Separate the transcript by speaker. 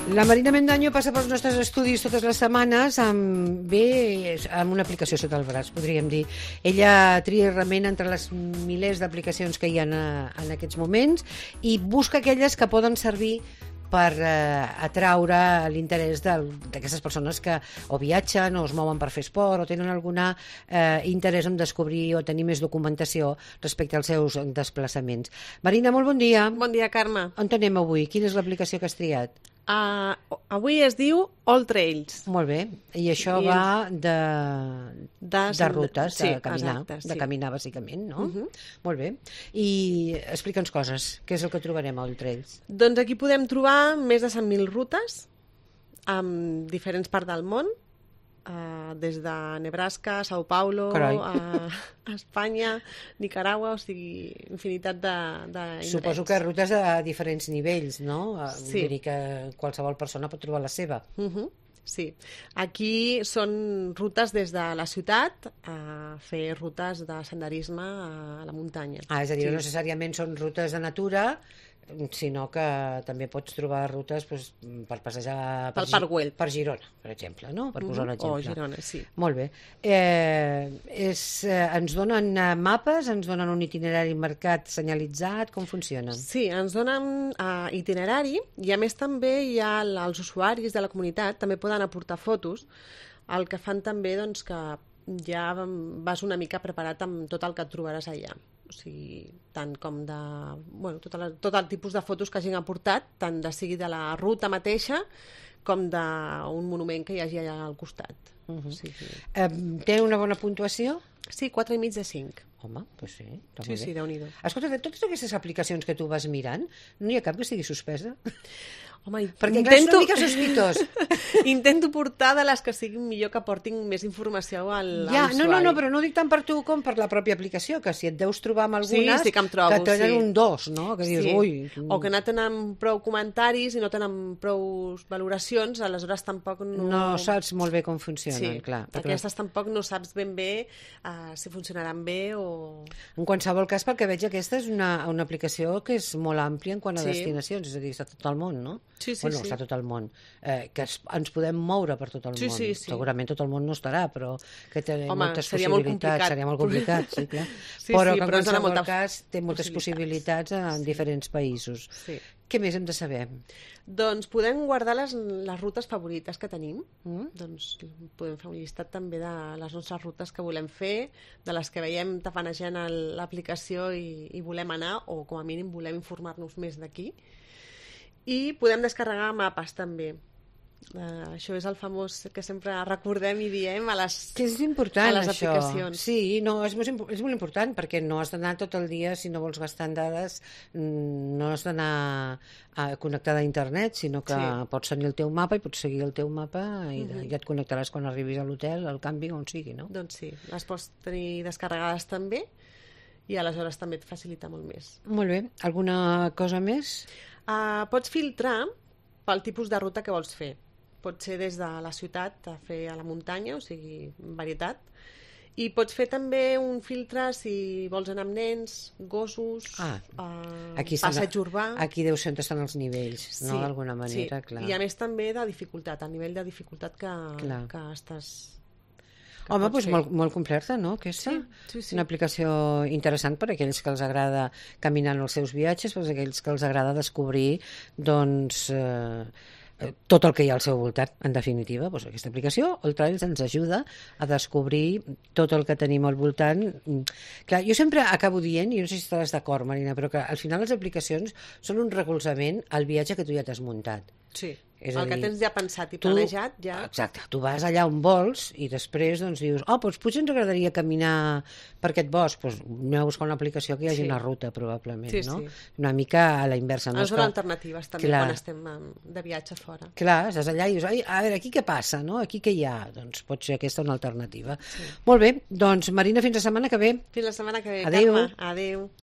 Speaker 1: La Marina Mendaño passa pels nostres estudis totes les setmanes amb una aplicació sota el braç, podríem dir. Ella tria i remena entre les milers d'aplicacions que hi ha en aquests moments i busca aquelles que poden servir per atraure l'interès d'aquestes persones que o viatgen o es mouen per fer esport o tenen algun interès en descobrir o tenir més documentació respecte als seus desplaçaments. Marina, molt bon dia.
Speaker 2: Bon dia, Carme.
Speaker 1: On anem avui? Quina és l'aplicació que has triat?
Speaker 2: Avui es diu All Trails.
Speaker 1: Molt bé. I això va de rutes,
Speaker 2: sí,
Speaker 1: de caminar,
Speaker 2: exacte, sí.
Speaker 1: De caminar bàsicament, no? Molt bé. I explica'ns coses. Què és el que trobarem a All Trails?
Speaker 2: Doncs aquí podem trobar més de 100.000 rutes en diferents parts del món, des de Nebraska, Sao Paulo, a Espanya, Nicaragua, o sigui, infinitat d'indrets.
Speaker 1: Suposo que rutes de diferents nivells, no?
Speaker 2: Sí.
Speaker 1: Vull dir que qualsevol persona pot trobar la seva.
Speaker 2: Sí. Aquí són rutes des de la ciutat a fer rutes de senderisme a la muntanya.
Speaker 1: És a dir, no necessàriament són rutes de natura, sinó que també pots trobar rutes per passejar per Girona, per exemple, no? Per posar un exemple.
Speaker 2: O Girona, sí.
Speaker 1: Molt bé. Ens donen mapes, ens donen un itinerari marcat, senyalitzat, com funciona?
Speaker 2: Sí, ens donen itinerari i a més també els usuaris de la comunitat també poden aportar fotos, el que fan també doncs, que ja vas una mica preparat amb tot el que et trobaràs allà. O sigui, tant com de... Bueno, tot el tipus de fotos que hagin aportat, tant de sigui de la ruta mateixa com d'un monument que hi hagi allà al costat.
Speaker 1: Té una bona puntuació?
Speaker 2: Sí, 4,5 de 5.
Speaker 1: Home, doncs sí, està molt bé.
Speaker 2: Sí, Déu-n'hi-do.
Speaker 1: Escolta, de totes aquestes aplicacions que tu vas mirant, no hi ha cap que estigui suspesa?
Speaker 2: Home,
Speaker 1: perquè clar, és una mica sospitós.
Speaker 2: Intento portar de les que siguin millor, que portin més informació a l'usuari.
Speaker 1: No, però no ho dic tant per tu com per la pròpia aplicació, que si et deus trobar amb algunes
Speaker 2: sí, que em trobo,
Speaker 1: que tenen un 2, no? Que dius, ui...
Speaker 2: O que no tenen prou comentaris i no tenen prou valoracions, aleshores tampoc no...
Speaker 1: No saps molt bé com funcionen, clar.
Speaker 2: Aquestes tampoc no saps ben bé si funcionaran bé o...
Speaker 1: En qualsevol cas, pel que veig, aquesta és una aplicació que és molt àmplia en quant a destinacions, és a dir, està tot el món, no?
Speaker 2: Sí.
Speaker 1: Està tot el món. Que ens podem moure per tot el món.
Speaker 2: Sí.
Speaker 1: Segurament tot el món no estarà, però que té moltes
Speaker 2: seria
Speaker 1: possibilitats. Seria molt complicat, sí, clar. Però que en qualsevol cas té moltes possibilitats en diferents països.
Speaker 2: Sí.
Speaker 1: Què més hem de saber?
Speaker 2: Doncs podem guardar les rutes favorites que tenim. Doncs podem fer un llistat també de les nostres rutes que volem fer, de les que veiem tafanejant a l'aplicació i volem anar, o com a mínim volem informar-nos més d'aquí. I podem descarregar mapes també. Això és el famós que sempre recordem i diem a les aplicacions.
Speaker 1: Sí, no, és molt important perquè no has d'anar tot el dia, si no vols gastar en dades, no has d'anar connectada a internet, sinó que pots tenir el teu mapa i pots seguir el teu mapa i ja et connectaràs quan arribis a l'hotel, al càmping, on sigui, no?
Speaker 2: Doncs sí, les pots tenir descarregades també i aleshores també et facilita molt més.
Speaker 1: Molt bé. Alguna cosa més?
Speaker 2: Pots filtrar pel tipus de ruta que vols fer. Pot ser des de la ciutat a fer a la muntanya, o sigui, varietat. I pots fer també un filtre si vols anar amb nens, gossos, passeig urbà...
Speaker 1: Aquí deu ser on estan els nivells, no? D'alguna manera, clar.
Speaker 2: I a més també de dificultat, el nivell de dificultat que estàs...
Speaker 1: Home, doncs molt completa, no, aquesta?
Speaker 2: Sí.
Speaker 1: Una aplicació interessant per a aquells que els agrada caminar en els seus viatges, per a aquells que els agrada descobrir, doncs... tot el que hi ha al seu voltant, en definitiva. Doncs aquesta aplicació, All Trails, ens ajuda a descobrir tot el que tenim al voltant. Clar, jo sempre acabo dient, i no sé si estaràs d'acord, Marina, però que al final les aplicacions són un recolzament al viatge que tu ja t'has muntat.
Speaker 2: Sí, el que tens ja pensat i planejat ja...
Speaker 1: Exacte, tu vas allà on vols i després doncs dius, doncs potser ens agradaria caminar per aquest bosc, doncs anem a buscar una aplicació que hi hagi una ruta probablement, no? Una mica a la inversa.
Speaker 2: Ens donen alternatives també quan estem de viatge fora.
Speaker 1: Clar, estàs allà i dius, a veure, aquí què passa, no? Aquí què hi ha? Doncs pot ser aquesta una alternativa. Molt bé, doncs Marina, fins la setmana que ve.
Speaker 2: Fins la setmana que ve,
Speaker 1: Carme.
Speaker 2: Adéu.